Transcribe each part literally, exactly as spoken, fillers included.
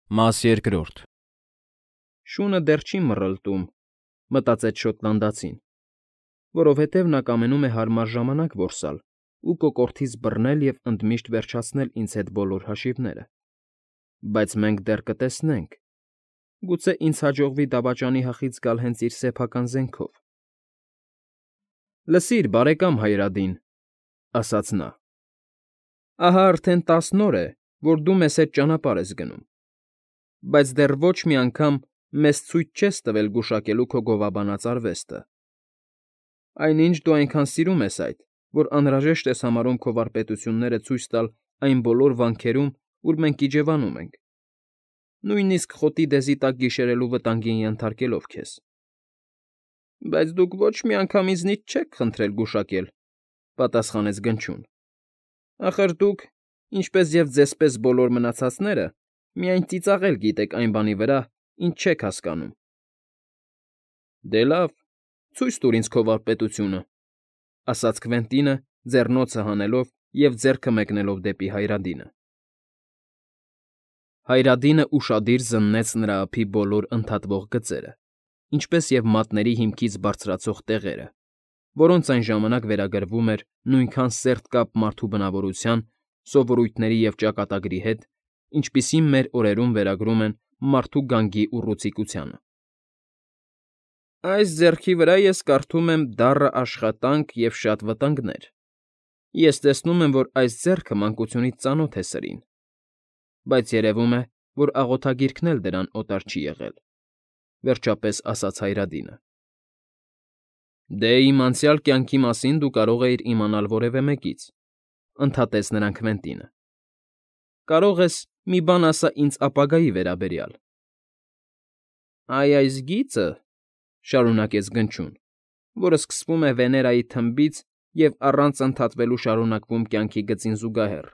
Մաս երկրորդ Շունը դեռ չի մռլտում, մտածեց շոտլանդացին, որովհետև նա կամենում է հարմար ժամանակ որսալ ու կոկորդից բռնել և ընդմիշտ վերջացնել ինձ հետ բոլոր հաշիվները, բայց մենք դեռ կտեսնենք, գուցե ինձ հաջողվի դավաճանի հախից գալ հենց իր սեփական զենքով։ ֊ Լսիր, բարեկամ Հայրադին,֊ ասաց նա,֊ ահա արդեն տասն օր է, որ դու մեզ հետ ճանապարհ ես գնում, բայց դեռ ոչ մի անգամ մեզ ցույց չես տվել գուշակելու քո գովաբանած արվեստը, այնինչ դու այնքան սիրում ես այդ, որ անհրաժեշտ ես համարում քո վարպետությունները ցույց տալ այն բոլոր վանքերում, ուր մենք իջևանում ենք, նույնիսկ խոտի դեզի տակ գիշերելու վտանգին ենթարկելով քեզ։ ֊ Բայց դուք ոչ մի անգամ ինձնից չեք խնդրել գուշակել,֊ պատասխանեց Գնչուն,֊ ախր դուք, ինչպես և ձեզպես բոլոր մնացածները, միայն ծիծաղել գիտեք այն բանի վրա, ինչ չեք հասկանում։ ֊ Դե լավ, ցույց տուր ինձ քո վարպետությունը,֊ ասաց Քվենտինը, ձեռնոցը հանելով և ձեռքը մեկնելով դեպի Հայրադինը։ Հայրադինը ուշադիր զննեց նրա ափի բոլոր ընդհատվող գծերը, ինչպես և մատների հիմքից բարձրացող տեղերը, որոնց այն ժամանակ վերագրվում էր նույնքան սերտ կապ մարդու բնավորության, սովորույթների և ճակատագրի հետ, ինչպիսին մեր օրերում վերագրում են մարդու գանգի ուռուցիկությանը։ ֊ Այս ձեռքի վրա ես կարդում եմ «Դառը աշխատանք և շատ վտանգներ», ես տեսնում եմ, որ այս ձեռքը մանկությունից ծանոթ է սրին, բայց երևում է, որ աղոթագիրքն էլ դրան օտար չի եղել,֊ վերջապես ասաց Հայրադինը։ ֊ Դե, իմ անցյալ կյանքի մասին դու կարող էիր իմանալ որևէ մեկից,֊ ընդհատեց նրան Քվենտինը,֊ կարող ես մի բան ասա ինձ ապագայի վերաբերյալ։ ֊ Այ այս գիծը,֊ շարունակեց Գնչուն, որը սկսվում է Վեներայի թմբից և առանց ընդհատվելու շարունակվում կյանքի գծին զուգահեռ,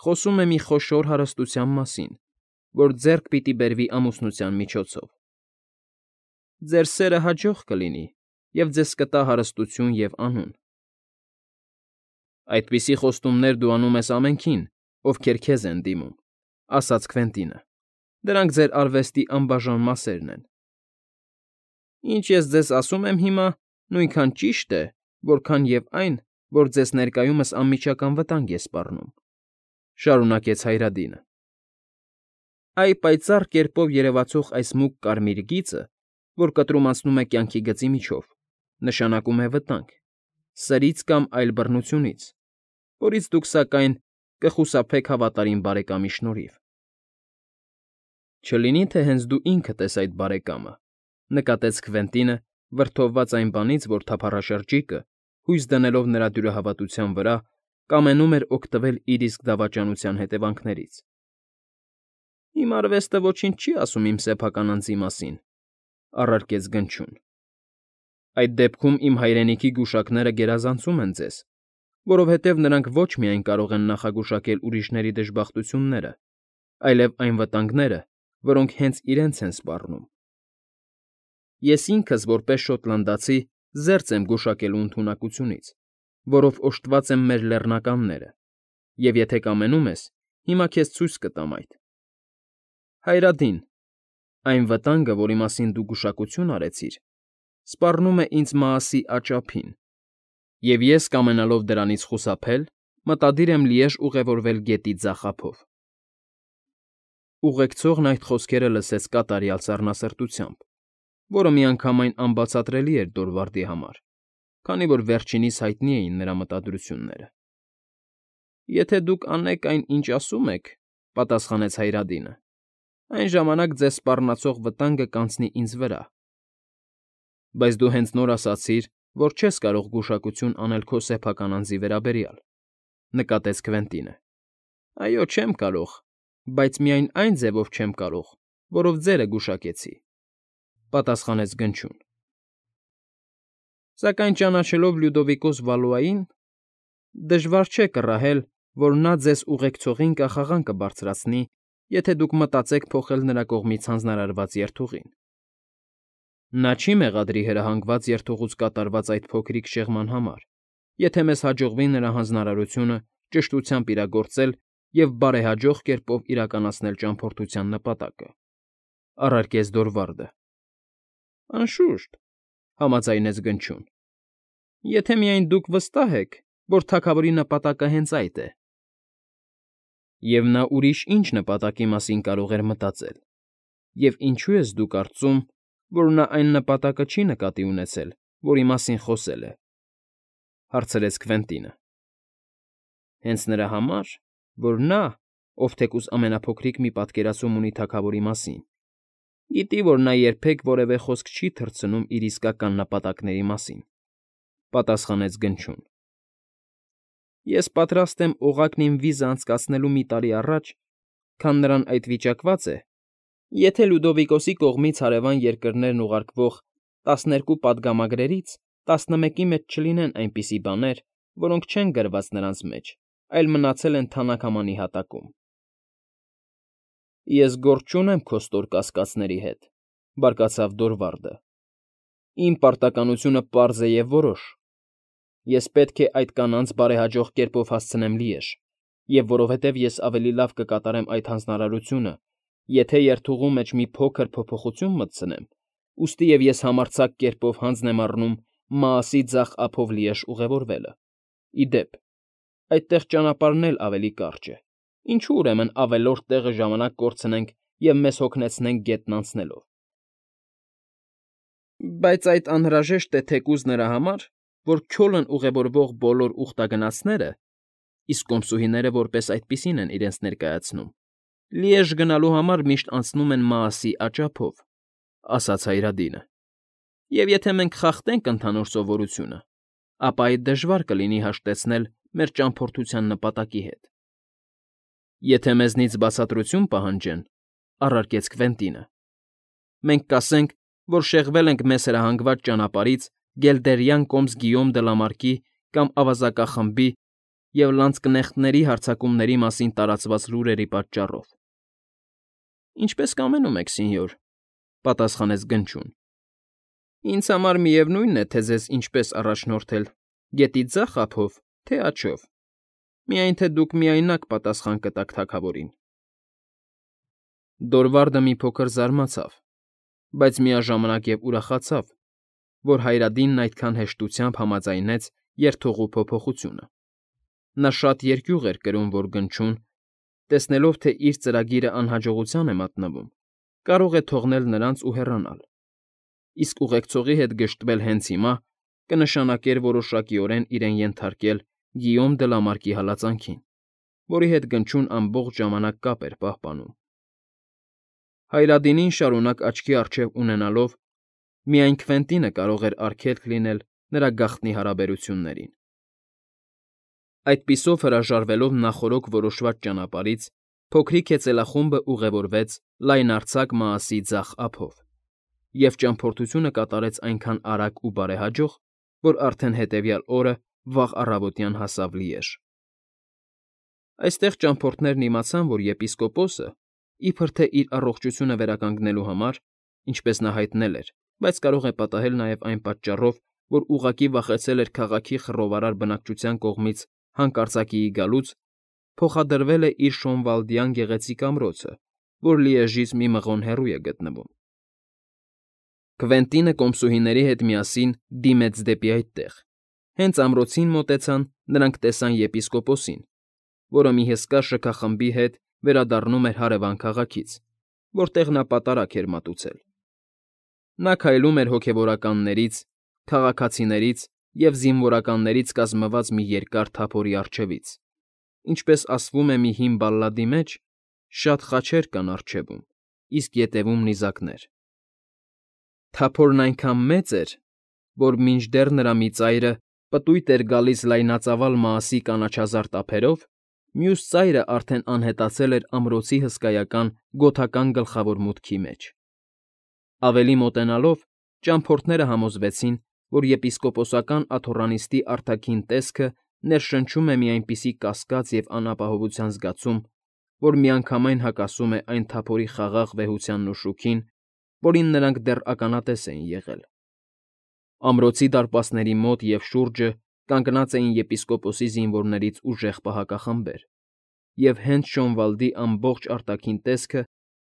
խոսում է մի խոշոր հարստության մասին, որ ձեռք պիտի բերվի ամուսնության միջոցով։ Ձեր սերը հաջող կլինի և ձեզ կտա հարստություն և անուն։ ֊ Այդպիսի խոստումներ դու անում ես ամենքին, ովքեր քեզ են դիմում,֊ ասաց Քվենտինը,֊ դրանք ձեր արվեստի անբաժան մասերն են։ ֊ Ինչ ես ձեզ ասում եմ հիմա, նույնքան ճիշտ է, որքան և այն, որ ձեզ ներկայումս անմիջական վտանգ է սպառնում,֊ շարունակեց Հայրադինը։ Այ պայծառ կերպով երևացող այս մուգ կարմիր գիծը, որ կտրում անցնում է կյանքի գծի միջով, նշանակում է վտանգ, սրից կամ այլ բռնությունից, որից դուք, սակայն, կխուսափեք հավատարիմ բարեկամի շնորհիվ։ ֊ Չլինի՞ թե հենց դու ինքդ ես այդ բարեկամը,֊ նկատեց Քվենտինը, վրդովված այն բանից, որ թափառաշրջիկը, հույս դնելով նրա դյուրահավատության վրա, կամենում էր օգտվել իր իսկ դավաճանության հետևանքներից։ ֊ Իմ արվեստը ոչինչ չի ասում իմ սեփական անձի մասին,֊ առարկեց Գնչուն,֊ այդ դեպքում իմ հայրենիքի գուշակները գերազանցում են ձեզ, որովհետև նրանք ոչ միայն կարող են նախագուշակել ուրիշների դժբախտությունները, այլև այն վտանգները, որոնք հենց իրենց են սպառնում։ Ես ինքս, որպես շոտլանդացի, զերծ եմ գուշակելու ընդունակությունից, որով օժտված են մեր լեռնականները, և եթե կամենում ես, հիմա քեզ ցույց կտամ այդ։ Հայրադին, այն վտանգը, որի մասին դու գուշակություն արեցիր, սպառնում է ինձ Մաասի աջ ափին, և ես, կամենալով դրանից խուսափել, մտադիր եմ լիեժ ուղևորվել գետի ձախ ափով։ Ուղեկցողն այդ խոսքերը լսեց կատարյալ սառնասրտությամբ, որը միանգամայն անբացատրելի էր Դորվարդի համար, քանի որ վերջինիս հայտնի էին նրա մտադրությունները։ ֊ Եթե դուք անեք այն, ինչ ասում եք,֊ պատասխանեց Հայրադինը,֊ այն ժամանակ ձեզ սպառնացող վտանգը կանցնի ինձ վրա։ ֊ Բայց դու հենց նոր ասացիր, որ չես կարող գուշակություն անել քո սեփական անձի վերաբերյալ,֊ նկատեց Քվենտինը։ ֊ Այո, չեմ կարող, բայց միայն այն ձևով չեմ կարող, որով ձերը գուշակեցի,֊ պատասխանեց Գնչուն։ ֊ Սակայն ճանաչելով Լյուդովիկոս Վալուային, դժվար չէ կռահել, որ նա ձեզ ուղեկցողին կախաղան կբարձրացնի, եթե դուք մտածեք փոխել նրա կողմից հանձնարարված երթուղին։ Նա չի մեղադրի հրահանգված երթուղուց կատարված այդ փոքրիկ շեղման համար, եթե մեզ հաջողվի նրա հանձնարարությունը ճշտությամբ իրագործել և բարեհաջող կերպով իրականացնել ճամփորդության նպատակը,֊ առարկեց Դորվալդը։ ֊ Անշուշտ,֊ համաձայնեց Գնչուն,֊ եթե միայն դուք վստահ եք, որ թագավորի նպատակը հենց այդ է։ Եվ նա ուրիշ ի՞նչ նպատակի մասին կարող էր մտածել, և ինչո՞ւ ես դու կարծում, որ նա այն նպատակը չի նկատի ունեցել, որի մասին խոսել է,֊ հարցրեց Քվենտինը։ ֊ Հենց նրա համար, որ նա, ով թեկուզ ամենափոքրիկ մի պատկերացում ունի թագավորի մասին, գիտի, որ նա երբեք որևէ խոսք չի թռցնում իր իսկական նպատակների մասին,֊ պատասխանեց Գնչուն։ ֊ Ես պատրաստ եմ օղակն իմ վիզը անցկացնելու մի տարի առաջ, քան նրան այդ վիճակված է, եթե Լյուդովիկոսի կողմից հարևան երկրներն ուղարկվող տասներկու պատգամագրերից տասնմեկի մեջ չլինեն այնպիսի բաներ, որոնք չեն գրված նրանց մեջ, այլ մնացել են թանաքամանի հատակում։ ֊ Ես գործ չունեմ քո ստոր կասկածների հետ,֊ բարկացավ Դորվալդը,֊ իմ պարտականությունը պարզ է և որոշ. ես պետք է այդ կանանց բարեհաջող կերպով հասցնեմ Լիեժ, և որովհետև ես ավելի լավ կկատարեմ այդ հանձնարարությունը, եթե երթուղու մեջ մի փոքր փոփոխություն մտցնեմ, ուստի և ես համարձակ կերպով հանձն եմ առնում Մաասի ձախ ափով Լիեժ ուղևորվելը։ Ի դեպ, այդտեղ ճանապարհն էլ ավելի կարճ է, ինչո՞ւ, ուրեմն, ավելորդ տեղը ժամանակ կորցնենք և մեզ հոգնեցնենք գետն անցնելով։ ֊ Բայց այդ անհրաժեշտ է թեկուզ նրա համար, որ Քյոլն ուղևորվող բոլոր ուխտագնացները (իսկ կոմսուհիները որպես այդպիսին են իրենց ներկայացնում) Լիեժ գնալու համար միշտ անցնում են Մաասի աճափով,֊ ասաց Հայրադինը,֊ և եթե մենք խախտենք ընդհանուր սովորությունը, ապա այդ դժվար կլինի հաշտեցնել մեր ճամփորդության նպատակի հետ։ ֊ Եթե մեզնից բացատրություն պահանջեն,֊ առարկեց Քվենտինը,֊ մենք կասենք, որ շեղվել ենք մեզ հրահանգված ճանապարհից գելդերյան կոմս Գիյոմ դը Լամարկի կամ ավազակախմբի և լանցկնեխտների հարձակումների մասին տարածված լուրերի պատճառով։ ֊ Ինչպես կամենում եք, սենյոր,֊ պատասխանեց Գնչուն։ ֊ Ինձ համար միևնույն է, թե ձեզ ինչպես առաջնորդել՝ գետի ձախ ափով, թե աջով, միայն թե դուք միայնակ պատասխան կտաք թագավորին։ Դորվալդը մի փոքր զարմացավ, բայց միաժամանակ և ուրախացավ, որ Հայրադինն այդքան հեշտությամբ համաձայնեց երթուղու փոփոխությունը։ նա շատ երկյուղ էր կրում, որ Գնչուն, տեսնելով, թե իր ծրագիրը անհաջողության է մատնվում, կարող է թողնել նրանց ու հեռանալ, իսկ ուղեկցողի հետ գժտվել հենց հիմա կնշանակեր որոշակիորեն իրեն ենթարկել Գիյոմ դը Լամարկի հալածանքին, որի հետ Գնչուն ամբողջ ժամանակ կապ էր պահպանում։ Հայրադինին շարունակ աչքի առջև ունենալով՝ միայն Քվենտինը կարող էր արգելք լինել նրա գաղտնի հարաբերություններին։ Այդպիսով հրաժարվելով նախօրոք որոշված ճանապարհից, փոքրիկ հեծելախումբը ուղևորվեց լայնարձակ Մաասի ձախ ափով և ճամփորդությունը կատարեց այնքան արագ ու բարեհաջող, որ արդեն հետևյալ օրը վաղ առավոտյան հասավ Լիեժ։ Այստեղ ճամփորդներն իմացան, որ եպիսկոպոսը, իբրև թե իր առողջությունը վերականգնելու համար, ինչպես նա հայտնել էր, բայց կարող է պատահել նաև այն պատճառով, որ ուղղակի վախեցել էր քաղաքի խռովարար բնակչության կողմից հանկարծակիի գալուց, փոխադրվել է իր Շոնվալդյան գեղեցիկ ամրոցը, որ Լիեժից մի մղոն հեռու է գտնվում։ Քվենտինը կոմսուհիների հետ միասին դիմեց դեպի այդտեղ։ Հենց ամրոցին մոտեցան, նրանք տեսան եպիսկոպոսին, որը մի հսկա շքախմբի հետ վերադառնում էր հարևան քաղաքից, որտեղ նա պատարագ էր մատուցել։ Նա քայլում էր հոգևորականներից, քաղաքացիներից և զինվորականներից կազմված մի երկար թափորի առջևից, ինչպես ասվում է մի հին բալլադի մեջ, շատ խաչեր կան առջևում, իսկ ետևում նիզակներ։ Թափորն այնքան մեծ էր, որ մինչդեռ նրա մի ծայրը պտույտ էր գալիս լայնածավալ Մաասի կանաչազարդ ափերով, մյուս ծայրը արդեն անհետացել էր ամրոցի հսկայական գոթական գլխավոր մուտքի մեջ։ Ավելի մոտենալով՝ ճամփորդները համոզվեցին, որ եպիսկոպոսական աթոռանիստի արտաքին տեսքը ներշնչում է մի այնպիսի կասկած և անապահովության զգացում, որ միանգամայն հակասում է այն թափորի խաղաղ վեհությանն ու շուքին, որին նրանք դեռ ականատես էին եղել։ Ամրոցի դարպասների մոտ և շուրջը կանգնած էին եպիսկոպոսի զինվորներից ուժեղ պահակախմբեր, և հենց Շոնվալդի ամբողջ արտաքին տեսքը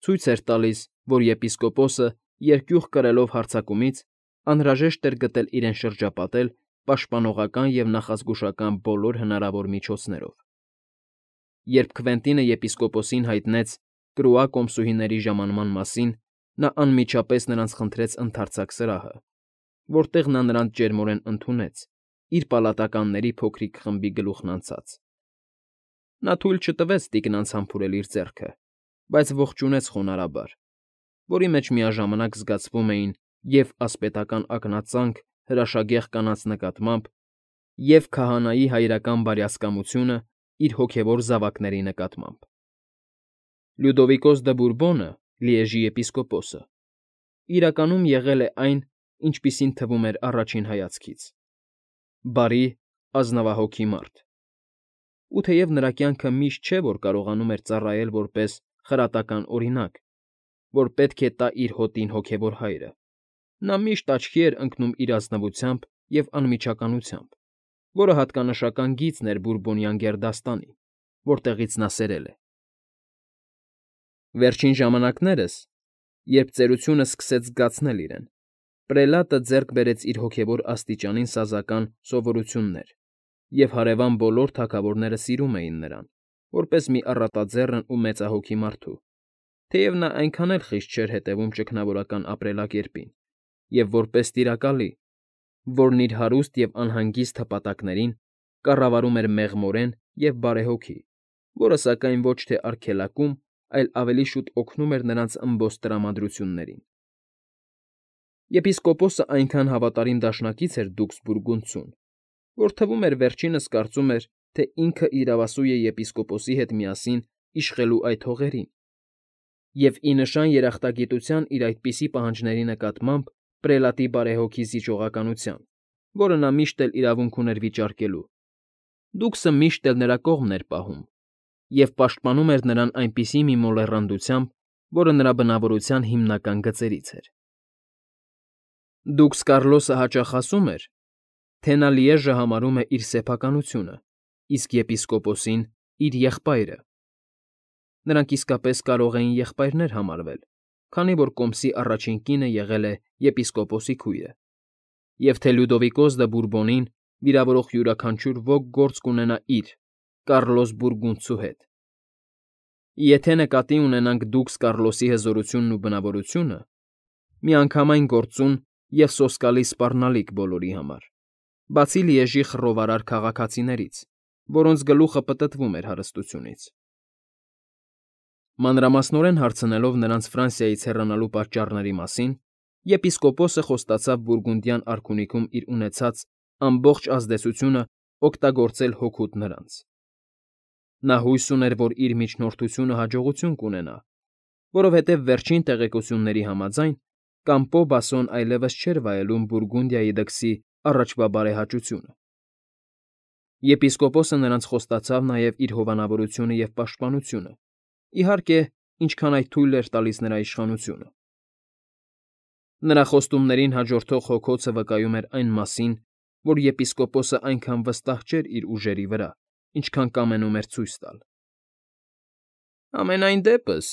ցույց էր տալիս, որ եպիսկոպոսը, երկյուղ կրելով հարձակումից, անհրաժեշտ էր գտել իրեն շրջապատել պաշտպանողական և նախազգուշական բոլոր հնարավոր միջոցներով։ Երբ Քվենտինը եպիսկոպոսին հայտնեց Կրուա կոմսուհիների ժամանման մասին, նա անմիջապես նրանց խնդրեց ընդարձակ սրահը, որտեղ նա նրանց ջերմորեն ընդունեց, իր պալատականների փոքրիկ խմբի գլուխն անցած։ Նա թույլ չտվեց տիկնանց համբուրել իր ձեռքը, բայց ողջունեց խոնարհաբար, որի մեջ միաժամանակ զգացվում էին և՛ ասպետական ակնածանք հրաշագեղ կանանց նկատմամբ, և՛ քահանայի հայրական բարյացակամությունը իր հոգևոր զավակների նկատմամբ։ Լյուդովիկոս դը Բուրբոնը, Լիեժի եպիսկոպոսը, իրականում եղել է այն, ինչպիսին թվում էր առաջին հայացքից՝ բարի, ազնվահոգի մարդ։ Ու թեև նրա կյանքը միշտ չէ, որ կարողանում էր ծառայել որպես խրատական օրինակ, որ պետք է տա իր հոտին հոգևոր հայրը, նա միշտ աչքի էր ընկնում իր ազնվությամբ և անմիջականությամբ, որը հատկանշական գիծն էր բուրբոնյան գերդաստանի, որտեղից նա սերել է։ Վերջին ժամանակներս, երբ ծերությունը սկսեց զգացնել իրեն, պրելատը ձեռք բերեց իր հոգևոր աստիճանին սազական սովորություններ, և հարևան բոլոր թագավորները սիրում էին նրան, որպես մի առատաձեռն ու մեծահոգի մարդու, թեև նա այնքան էլ խիստ չէր հետևում ճգնավորական ապրելակերպին, և որպես տիրակալի, որն իր հարուստ և անհանգիստ հպատակներին կառավարում էր մեղմորեն և բարեհոգի, որը, սակայն, ոչ թե արգելակում, այլ ավելի շուտ օգնում էր նրանց ըմբոստ տրամադրություններին։ Եպիսկոպոսը այնքան հավատարիմ դաշնակից էր դուքս Բուրգունդցուն, որ թվում էր վերջինս կարծում էր, թե ինքը իրավասու է եպիսկոպոսի հետ միասին իշխելու այդ հողերին, և ի նշան երախտագիտության իր այդպիսի պահանջների նկատմամբ պրելատի բարեհոգի զիջողականության, որը նա միշտ էլ իրավունք ուներ վիճարկելու, դուքսը միշտ էլ նրա կողմն էր պահում և պաշտպանում էր նրան այնպիսի մի մոլեռանդությամբ, որը նրա բնավորության հիմնական գծերից էր։ Դուքս Կարլոսը հաճախ ասում էր, թե նա Լիեժը համարում է իր սեփականությունը, իսկ եպիսկոպոսին՝ իր եղբայրը։ Նրանք իսկապես կարող էին եղբայրներ համարվել, քանի որ կոմսի առաջին կինը եղել է եպիսկոպոսի քույրը, և թե Լյուդովիկոս դը Բուրբոնին վիրավորող յուրաքանչյուր ոք գործ կունենա իր՝ Կարլոս Բուրգունդցու հետ։ Եթե նկատի ունենանք դուքս Կարլոսի հզորությունն ու բնավորությունը, միանգամայն գործուն և սոսկալի սպառնալիք բոլորի համար, բացի Լիեժի խռովարար քաղաքացիներից, որոնց գլուխը պտտվում էր հարստությունից։ Մանրամասնորեն հարցնելով նրանց Ֆրանսիայից հեռանալու պատճառների մասին, եպիսկոպոսը խոստացավ Բուրգունդյան արքունիքում իր ունեցած ամբողջ ազդեցությունը օգտագործել հօգուտ նրանց։ Նա հույս ուներ, որ իր միջնորդությունը հաջողություն կունենա, որովհետև վերջին տեղեկությունների համաձայն Կամպո Բասոն այլևս չէր վայելում Բուրգունդիայի դքսի առաջվա բարեհաճությունը։ Եպիսկոպոսը նրանց խոստացավ նաև իր հովանավորությունը և պաշտպանությունը, իհարկե, ինչքան այդ թույլ էր տալիս նրա իշխանությունը։ Նրա խոստումներին հաջորդող հոգոցը վկայում էր այն մասին, որ եպիսկոպոսը այնքան վստահ չէր իր ուժերի վրա, ինչքան կամենում էր ցույց տալ։ «Համենայն դեպս,֊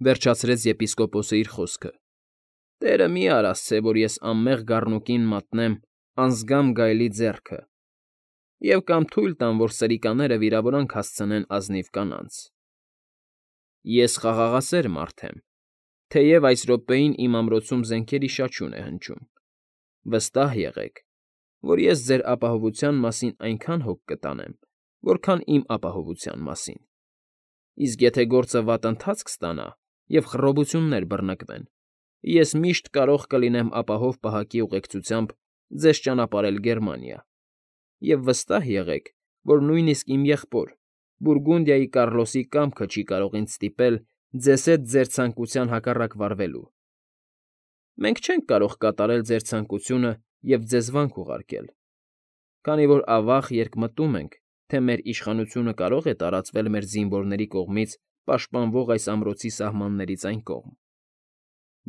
վերջացրեց եպիսկոպոսը իր խոսքը,֊ Տերը մի՛ արասցե, որ ես անմեղ գառնուկին մատնեմ անզգամ գայլի ձեռքը և կամ թույլ տամ, որ սրիկաները վիրավորանք հասցնեն ազնիվ կանանց։ Ես խաղաղասեր մարդ եմ, թեև այս րոպեին իմ ամրոցում զենքերի շաչյուն է հնչում։ Վստահ եղեք, որ ես ձեր ապահովության մասին այնքան հոգ կտանեմ, որքան իմ ապահովության մասին։ Իսկ եթե գործը վատ ընթացք ստանա և խռովություններ բռնկվեն, ես միշտ կարող կլինեմ ապահով պահակի ուղեկցությամբ ձեզ ճանապարհել Գերմանիա, և վստահ եղեք, որ նույնիսկ իմ եղբոր, Բուրգունդիայի Կարլոսի կամքը չի կարող ինձ ստիպել ձեզ հետ ձեր ցանկության հակառակ վարվելու։ Մենք չենք կարող կատարել ձեր ցանկությունը և ձեզ վանք ուղարկել, քանի որ ավաղ երկմտում ենք, թե մեր իշխանությունը կարող է տարածվել մեր զինվորների կողմից պաշտպանվող այս ամրոցի սահմաններից այն կողմ։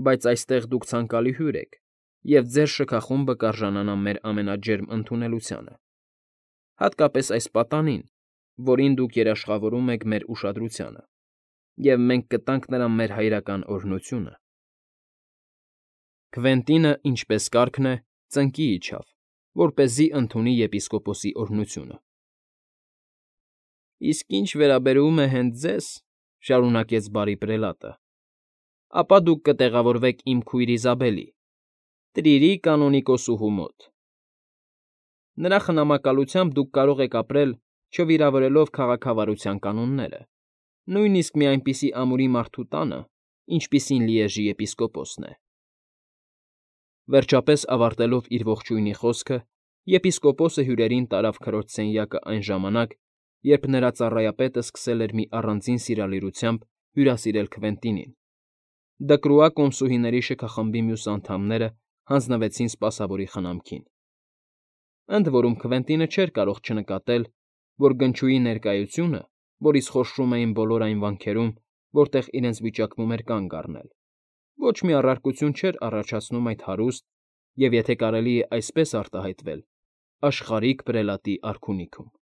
Բայց այստեղ դուք ցանկալի հյուր եք, և ձեր շքախումբը կարժանանա մեր ամենաջերմ ընդունելությանը, հատկապես այս պատանին, որին դուք երաշխավորում եք մեր ուշադրությանը, և մենք կտանք նրան մեր հայրական օրհնությունը։ Քվենտինը, ինչպես կարգն է, ծնկի իջավ, որպեսզի ընդունի եպիսկոպոսի օրհնությունը։ ֊ Իսկ ինչ վերաբերում է հենց ձեզ,֊ շարունակեց բարի պրելատը,֊ ապա դուք կտեղավորվեք իմ քույր Իզաբելի, Տրիրի կանոնիկոսուհու մոտ։ Նրա խնամակալությամբ դուք կարող եք ապրել՝ չվիրավորելով քաղաքավարության կանոնները, նույնիսկ մի այնպիսի ամուրի մարդու տանը, ինչպիսին Լիեժի եպիսկոպոսն է։ Վերջապես ավարտելով իր ողջույնի խոսքը, եպիսկոպոսը հյուրերին տարավ քրոջ սենյակը այն ժամանակ, երբ նրա ծառայապետը սկսել էր մի առանձին սիրալիրությամբ հյուրասիրել Քվենտինին։ Դկրուա կոմսուհիների շքախմբի մյուս անդամները հանձնվեցին սպասավորի խնամքին։ Ընդ որում Քվենտինը չէր կարող չնկատել, որ գնչուի ներկայությունը, որից խորշում էին բոլոր այն վանքերում, որտեղ իրենց վիճակվում էր կանգ առնել, ոչ մի առարկություն չէր առաջացնում այդ հարուստ և, եթե կարելի է այսպես արտահայտվել, աշխարհիկ պրելատի արքունիքում։